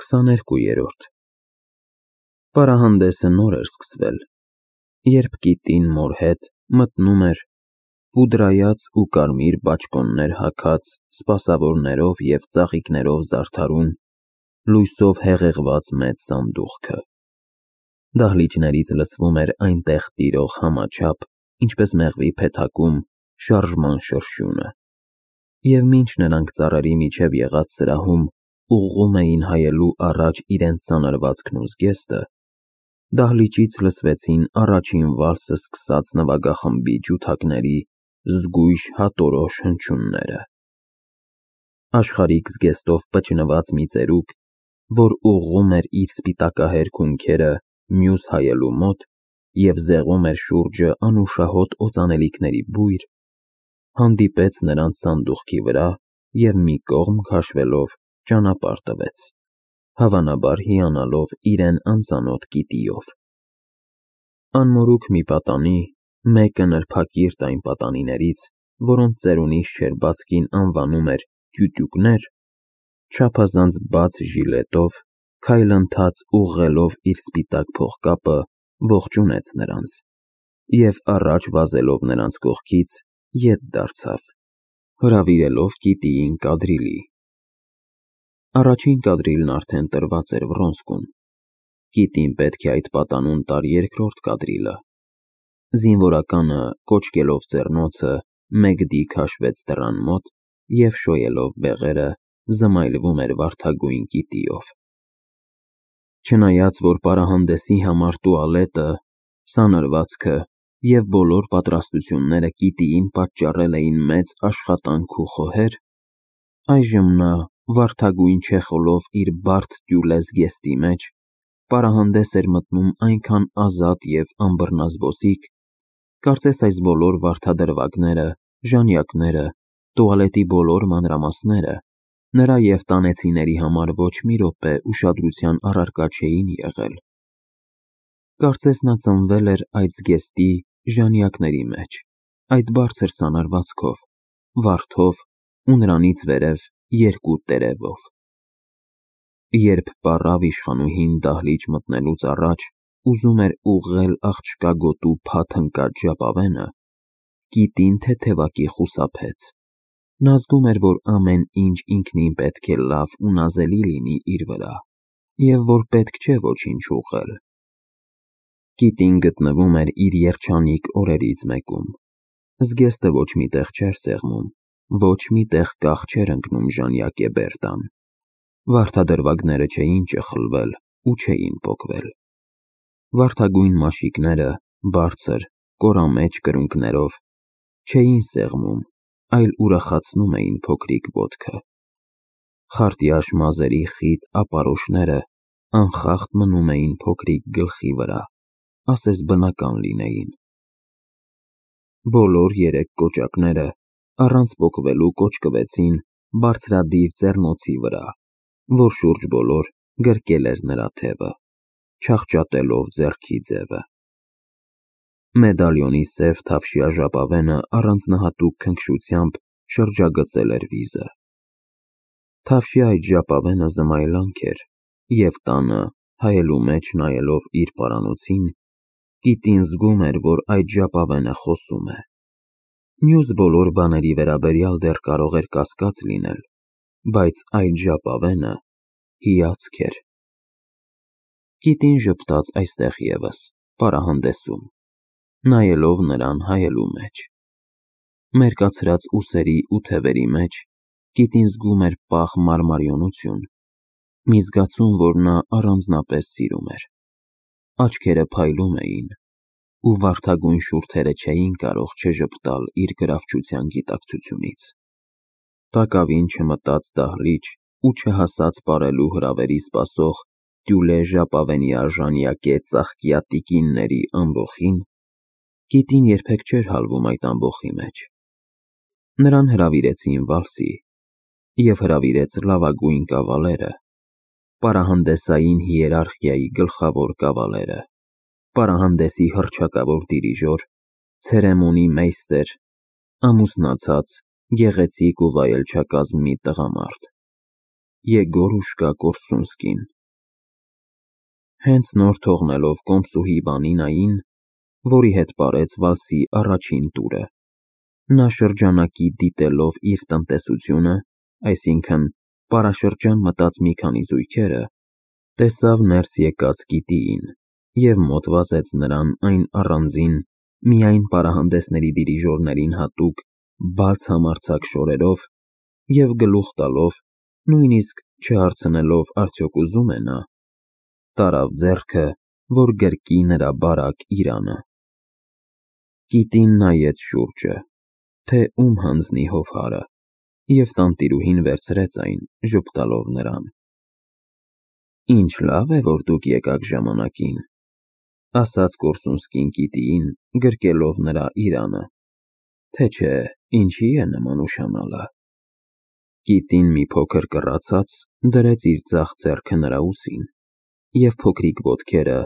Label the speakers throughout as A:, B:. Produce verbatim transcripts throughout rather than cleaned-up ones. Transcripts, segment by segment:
A: քսաներկուերորդ Պարահանդեսը նոր էր սկսվել, երբ կիտին մոր հետ մտնում էր պուդրայած ու կարմիր բաճկոններ հագած, սպասավորներով և ծաղիկներով զարդարուն, լույսով հեղեղված մեծ սանդուղքը։ Դահլիճներից լսվում էր այնտեղ տիրող համաչափ, ինչպես մեղվի փեթակում, շարժման շրշյունը, և մինչ նրանք ծառերի միջև եղած սրահում ուղղում էին հայելու առաջ իրենց սանրվածքն ու զգեստը, դահլիճից լսվեցին առաջին վալսը սկսած նվագախմբի ջութակների զգույշ հատորոշ հնչյունները։ Աշխարհիկ զգեստով պճնված մի ծերուկ, որ ուղղում էր իր սպիտակահեր քունքերը մյուս հայելու մոտ և զեղում էր շուրջը անուշահոտ օծանելիքների բույր, հանդիպեց նրանց սանդուղքի վրա և մի կողմ քաշվելով ճանապարհ տվեց, հավանաբար հիանալով իրեն անծանոթ կիտիով։ Անմորուք մի պատանի, մեկը նրբակիրթ այն պատանիներից, որոնց ծերունիս շերբածքին անվանում էր տյուտյուկներ, չափազանց բաց ժիլետով, քայլընթաց ուղղելով իր սպիտակ փողկապը, ողջունեց նրանց և առաջ վազելով նրանց կողքից, ետ դարձավ, հրավիրելով կիտիին կադրիլի։ Առաջին կադրիլն արդեն տրված էր Վռոնսկուն, կիտին պետք է այդ պատանուն տար երկրորդ կադրիլը։ Զինվորականը, կոչկելով ձեռնոցը, մեգդի քաշվեց դռան մոտ և շոյելով բեղերը, զմայլվում էր վարդագույն կիտիով։ Չնայած որ պարահանդեսի համար տուալետը, սանրվածքը և բոլոր պատրաստությունները կիտիին պատճառել էին մեծ աշխատանք ու խոհեր, այժմ նա, վարդագույն չեխոլով իր բարդ տյուլե զգեստի մեջ, պարահանդես էր մտնում այնքան ազատ և անբռնազբոսիկ, կարծես այս բոլոր վարդադրվագները, ժանյակները, տուալետի բոլոր մանրամասները նրա և տանեցիների համար ոչ մի րոպե ուշադրության առարկա չէին եղել։ Կարծես նա ծնվել էր այդ զգեստի, ժանյակների մեջ, այդ բարձր սանրվածքով, վարդով ու նրանից վերև երկու տերևով։ Երբ պառավ իշխանուհին դահլիճ մտնելուց առաջ ուզում էր ուղղել աղջկա գոտու փաթ ընկած ժապավենը, կիտին թեթևակի խուսափեց։ Նա զգում էր, որ ամեն ինչ ինքնին պետք է լավ ու նազելի լինի իր վրա, և որ պետք չէ ոչինչ ուղղել։ Կիտին գտնվում էր իր երջանիկ օրերից մեկում։ Զգեստը ոչ մի տեղ չէր սեղմում, ոչ մի տեղ կաղ չէր ընկնում ժանյակե Բերտան։ Վարդադրվագները չէին ճխլվել ու չէին պոկվել։ Վարդագույն մաշիկները, բարձր, կորամեջ կրունկներով, չէին սեղմում, այլ ուրախացնում էին փոքրիկ ոտքը։ Խարտյաշ մազերի խիտ ապարոշները անխախտ մնում էին փոքրիկ գլխի վրա, ասես բնական լինեին։ Բոլոր երեք կոճակները առանց պոկվելու կոճկվեցին բարձրադիր ձեռնոցի վրա, որ շուրջ բոլոր գրկել էր նրա թևը, չախճատելով ձեռքի ձևը։ Մեդալիոնի սև թավշյա ժապավենը առանձնահատուկ քնքշությամբ շրջագծել էր վիզը։ Թավշյա այդ ժապավենը զմայլանք էր, և տանը, հայելու մեջ նայելով իր պարանոցին, կիտին զգում էր, որ այդ ժապավենը խոսում է։ Մյուս բոլոր բաների վերաբերյալ դեռ կարող էր կասկած լինել, բայց այդ ժապավենը հիացք էր։ Կիտին ժպտաց այստեղ ևս, պարահանդեսում, նայելով նրան հայելու մեջ։ Մերկացրած ուսերի ու թևերի մեջ կիտին զգում էր պաղ մարմարյունություն, մի զգացում, որ նա առանձնապես սիրում էր։ Աչքերը փայլում էին, ու վարդագույն շուրթերը չէին կարող չժպտալ իր գրավչության գիտակցությունից։ Տակավին չմտած դահլիճ ու չհասած պարելու հրավերի սպասող տյուլե ժապավենյա ժանյակե ծաղկյա տիկինների ամբոխին, կիտին երբեք չէր հալվում այդ ամբոխի մեջ։ Նրան հրավիրեցին վալսի, և հրավիրեց լավագույն կավալերը, պարահանդեսային հիերարխիայի գլխավոր կավալերը, պարահանդեսի հռչակավոր դիրիժոր, ցերեմոնի մեյստեր, ամուսնացած, գեղեցիկ ու վայելչակազմ մի տղամարդ։ Եգորուշկա Կորսունսկին։ Հենց նոր թողնելով կոմսուհի Վանինային, որի հետ պարեց վալսի առաջին տուրը, նա շրջանակի դիտելով իր տնտեսությունը, այսինքն պարաշրջան մտած մի քանի զույգերը, տեսավ ներս եկած Կիտիին և մոտ վազեց նրան այն առանձին, միայն պարահանդեսների դիրիժորներին հատուկ բաց համարձակ շորերով և գլուխ տալով, նույնիսկ չհարցնելով արդյոք ուզում է նա, տարավ ձեռքը, որ գրկի նրա բարակ իրանը։ Կիտին նայեց շուրջը, թե ում հանձնի հովհարը, և տանտիրուհին վերցրեց այն, ժպտալով նրան։ Ինչ լավ է, որ դուք եկաք ժամանակին, ասաց Կորսունսկին Կիտիին, գրկելով նրա իրանը, թե չէ ինչի է նման ուշանալը։ Կիտին մի փոքր կռացած դրեց իր ձախ ձեռքը նրա ուսին, և փոքրիկ ոտքերը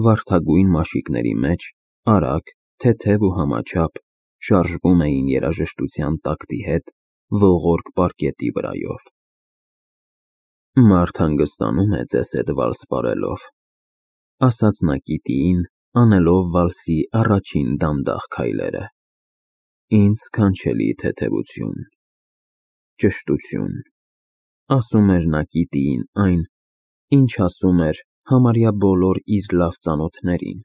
A: վարդագույն մաշիկների մեջ արագ, թեթև ու համաչափ շարժվում էին երաժշտության տակտի հետ ողորկ պարկետի վրայով։ Մարդ հանգստանում է ձեզ հետ վալս պարելով, ասաց նա Կիտիին, անելով վալսի առաջին դանդաղ քայլերը։ Ինձ սքանչելի թեթևություն, ճշտություն, ասում էր նա Կիտիին այն, ինչ ասում էր համարյա բոլոր իր լավ ծանոթներին։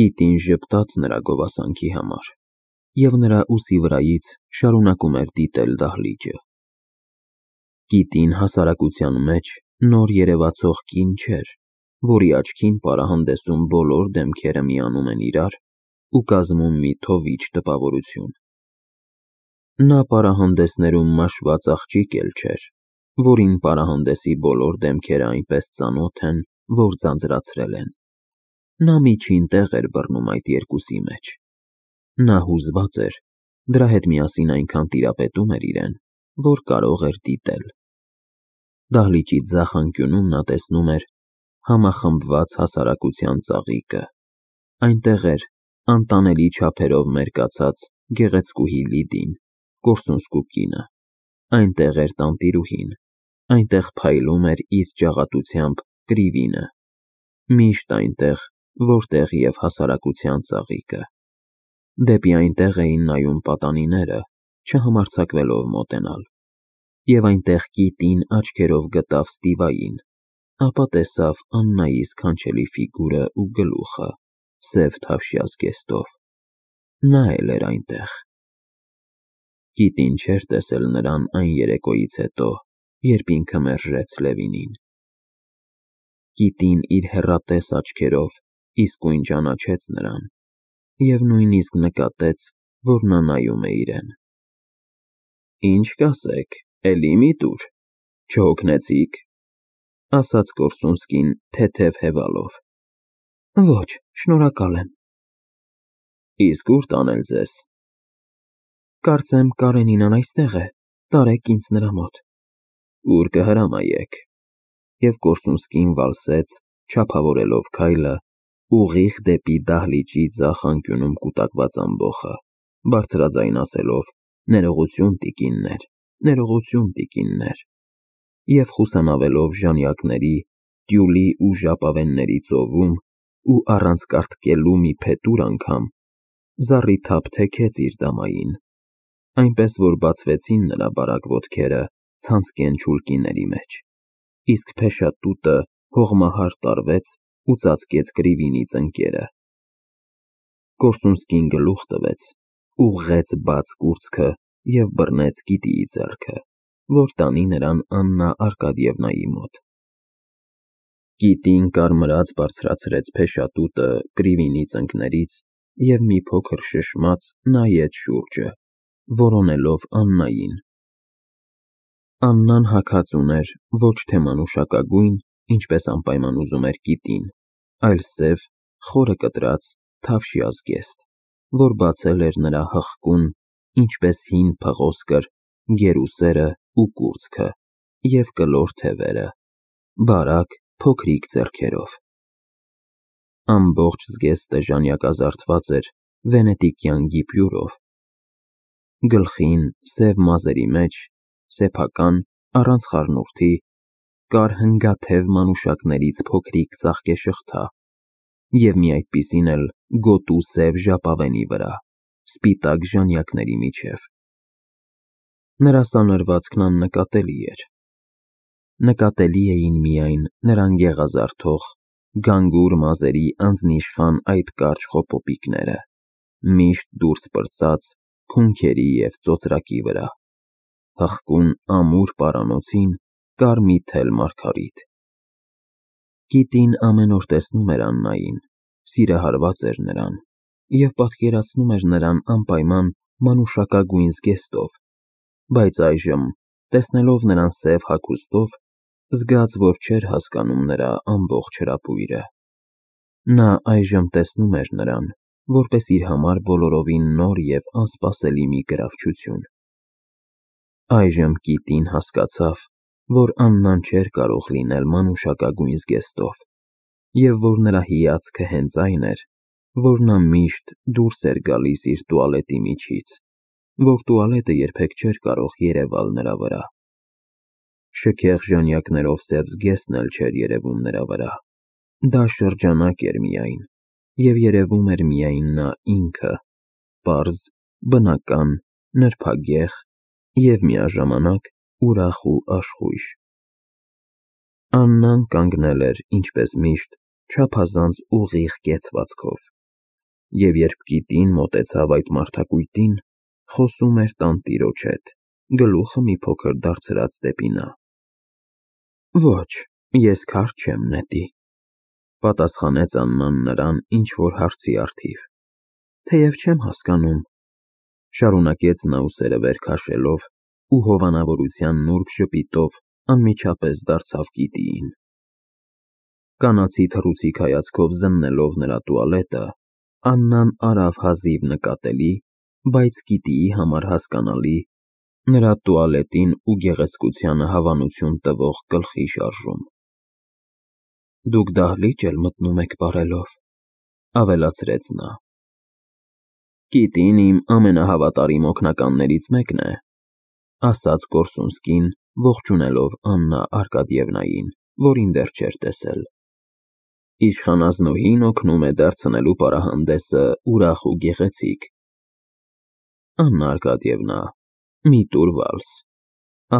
A: Կիտին ժպտաց նրա գովասանքի համար, և նրա ուսի վրայից շարունակում էր դիտել դահլիճը։ Կիտին հասարակության մեջ նոր երևացող կին չէր, որի աչքին պարահանդեսում բոլոր դեմքերը միանում են իրար ու կազմում մի թովիչ տպավորություն։ Նա պարահանդեսներում մաշված աղջիկ էլ չէր, որին պարահանդեսի բոլոր դեմքերը այնպես ծանոթ են, որ ձանձրացրել են։ Նա միջին տեղ էր բռնում այդ երկուսի մեջ։ Նա հուզված էր, դրա հետ միասին այնքան տիրապետում էր իրեն, որ կարող էր դիտել։ Դահլիճի ձախ անկյունում նա տեսնում էր համախմբված հասարակության ծաղիկը։ Այնտեղ էր անտանելի չափերով մերկացած գեղեցկուհի Լիդին, Կորսունսկու կինը, այնտեղ էր տանտիրուհին, այնտեղ փայլում էր իր ջաղատությամբ Կրիվինը, միշտ այնտեղ, որտեղ և հասարակության ծաղիկը։ Դեպի այնտեղ էին նայում պատանիները, չհամարձակվելով մոտենալ, և այնտեղ Կիտին աչքերով գտավ Ստիվային, ապա տեսավ Աննայի սքանչելի ֆիգուրը ու գլուխը, սև թավշյա զգեստով։ Նա էլ էր այնտեղ։ Կիտին չէր տեսել նրան այն երեկոյից հետո, երբ ինքը մերժեց Լևինին։ Կիտին իր հեռատես աչքերով իսկույն ճանաչեց նրան և նույնիսկ նկատեց, որ նա նայում է իրեն։ Ինչ կասեք, էլի մի տուր, չհոգնեցի՞ք, ասաց Կորսունսկին թեթև հևալով։ Ոչ, շնորհակալ եմ։ Իսկ ուր տանել ձեզ։ Կարծեմ Կարենինան այստեղ է, տարեք ինձ նրա մոտ։ Ուր կհրամայեք։ Եվ Կորսունսկին վալսեց, չափավորելով քայլը, ուղիղ դեպի դահլիճի ձախ անկյունում կուտակված ամբոխը, բարձրաձայն ասելով. Ներողություն, տիկիններ, ներողություն, տիկիններ, և խուսանավելով ժանյակների, տյուլի ու ժապավենների ծովում ու առանց կարտկելու մի փետուր անգամ, զառիթափ թեքեց իր դամային, այնպես որ բացվեցին նրա բարակ ոտքերը ցանցկեն չուլկիների մեջ, իսկ փեշատուտը հողմահար տարվեց ու ծածկեց Կրիվինի ծնկերը։ Կորսունսկին գլուխ տվեց, ուղղեց բաց կուրծքը և բռնեց Կիտիի ձեռքը, որ տանի նրան Աննա Արկադիևնայի մոտ։ Կիտին կարմրած բարձրացրեց փեշատուտը Կրիվինի ծնկներից և մի փոքր շշմած նայեց շուրջը, որոնելով Աննային։ Աննան հագած ուներ ոչ թե մանուշակագույն, ինչպես անպայման ուզում էր Կիտին, այլ սև, խորը կտրած, թավշյա զգեստ, որ բացել էր նրա հղկուն, ինչպես հին փղոսկր, գերուսերը ու կուրծքը և կլոր թևերը, բարակ, փոքրիկ ձեռքերով։ Ամբողջ զգեստը ժանյակազարդված էր վենետիկյան գիպյուրով։ Գլխին, սև մազերի մեջ, սեփական, առանց խառնուրդի, կար հնգաթև մանուշակներից փոքրիկ ծաղկե շղթա, և մի այդպիսին էլ գոտու սև ժապավենի վրա, սպիտակ ժանյակների միջև։ Նրա սանրվածքն աննկատելի էր։ Նկատելի էին միայն նրան գեղազարդող, գանգուր մազերի անձնիշխան այդ կարճ խոպոպիկները, միշտ դուրս պրծած քունքերի և ծոծրակի վրա, հղկուն ամուր պարանոցին կար մի թել մարգարիտ։ Կիտին ամեն օր տեսնում էր Աննային, սիրահարված էր նրան և պատկերացնում էր նրան անպայման մանուշակագույն զգեստով, բայց այժմ, տեսնելով նրան սև հագուստով, զգաց, որ չէր հասկանում նրա ամբողջ հրապույրը։ Նա այժմ տեսնում էր նրան, որպես իր համար բոլորովին նոր և անսպասելի մի գրավչություն։ Այժմ կիտին հասկացավ, որ Աննան չէր կարող լինել մանուշակագույն զգեստով, և որ նրա հիացքը հենց այն էր, որ նա միշտ դուրս էր գալիս իր տուալետի միջից, որ տուալետը երբեք չէր կարող երևալ նրա վրա։ Շքեղ ժանյակներով սև զգեստն էլ չէր երևում նրա վրա, դա շրջանակ էր միայն, և երևում էր միայն նա ինքը, պարզ, բնական, նրբագեղ և միաժամանակ ուրախ ու աշխույժ։ Աննան կանգնել էր, ինչպես միշտ, չափազանց ուղիղ կեցվածքով, և երբ կիտին մոտեցավ այդ մարդակույտին, խոսում էր տանտիրոջ հետ, գլուխը մի փոքր դարձրած դեպի նա։ Ոչ, ես քարդ չեմ, նետի, պատասխանեց Աննան նրան ինչ-որ հարցի առթիվ, թեև չեմ հասկանում, շարունակեց նա ուսերը վեր քաշելով ու հովանավորության նուրբ ժպիտով անմիջապես դարձավ կիտիին։ Կանացի թռուցիկ հայացքով զննելով նրա տուալետը, Աննան արավ հազիվ նկատելի, բայց կիտիի համար հասկանալի, նրա տուալետին ու գեղեցկությանը հավանություն տվող գլխի շարժում։ Դուք դահլիճ էլ մտնում եք պարելով, ավելացրեց նա։ Կիտին իմ ամենահավատարիմ օգնականներից մեկն է, ասաց Կորսունսկին, ողջունելով Աննա Արկադիևնային, որին դեռ չէր տեսել։ Իշխանազնուհին օգնում է դարձնելու պարահանդեսը ուրախ ու գեղեցիկ։ Աննա Արկադիևնա, մի տուր վալս,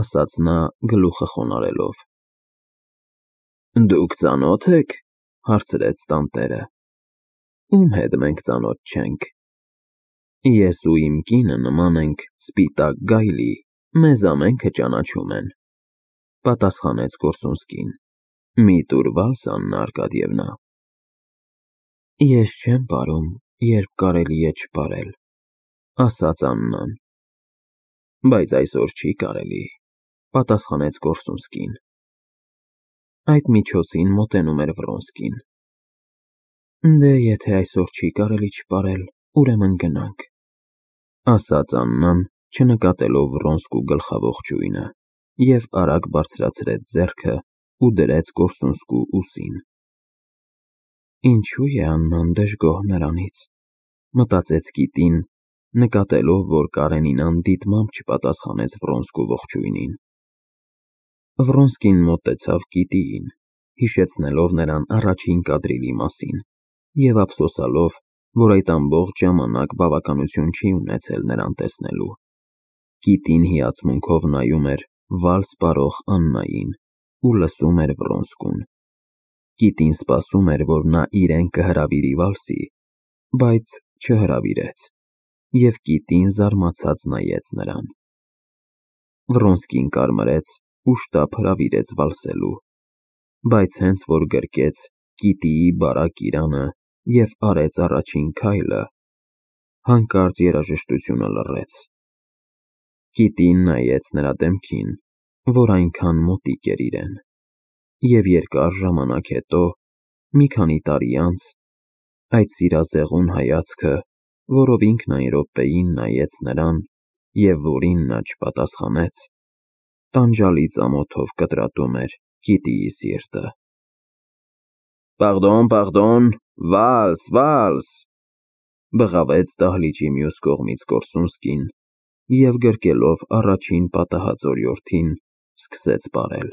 A: ասաց նա գլուխը խոնարհելով։ Դուք ծանո՞թ եք, հարցրեց տանտերը։ Ում հետ մենք ծանոթ չենք։ Ես ու իմ կինը նման ենք սպիտակ գայլի, մեզ ամենքը ճանաչում են, պատասխանեց Կորսունսկին։ Մի տուր վալս, Աննա Արկադիևնա։ Ես չեմ պարում, երբ կարելի է չպարել, ասաց Աննան։ Բայց այսօր չի կարելի, պատասխանեց Կորսունսկին։ Այդ միջոցին մոտենում էր Վրոնսկին։ Դե, եթե այսօր չի կարելի չպարել, ուրեմն գնանք, ասաց Աննան, չնկատելով Վրոնսկու գլխաողջույնը, և արագ բարձրացրեց ձեռքը ու դրեց Կորսունսկու ուսին։ Ինչու է Աննան դժգոհ նրանից, մտածեց կիտին, նկատելով, որ Կարենին անդիտմամբ չպատասխանեց Վրոնսկու ողջույնին։ Վրոնսկին մոտեցավ կիտիին, հիշեցնելով նրան առաջին կադրիլի մասին և ափսոսալով, որ այդ ամբողջ ժամանակ բավականություն չի ունեցել նրան տեսնելու։ Կիտին հիացմունքով նայում էր վալս պարող Աննային ու լսում էր Վրոնսկուն։ Կիտին սպասում էր, որ նա իրեն կհրավիրի վալսի, բայց չհրավիրեց, և կիտին զարմացած նայեց նրան։ Վրոնսկին կարմրեց ու շտապ հրավիրեց վալսելու, բայց հենց որ գրկեց կիտիի բարակ իրանը և արեց առաջին քայլը, հանկարծ երաժշտությունը լռեց։ Կիտին նայեց նրա դեմքին, որ այնքան մոտիկ էր իրեն, և երկար ժամանակ հետո, մի քանի տարի անց, այդ սիրազեղուն հայացքը, որով ինքն այն րոպեին նայեց նրան և որին նա չպատասխանեց, տանջալից ամոթով կտրատում էր կիտիի սիրտը։ Պարդոն, պարդոն, վալս, վալս, բղավեց դահլիճի մյուս կողմից Կորսունսկին և գրկելով առաջին պատահած օրիորդին, սկսեց պարել։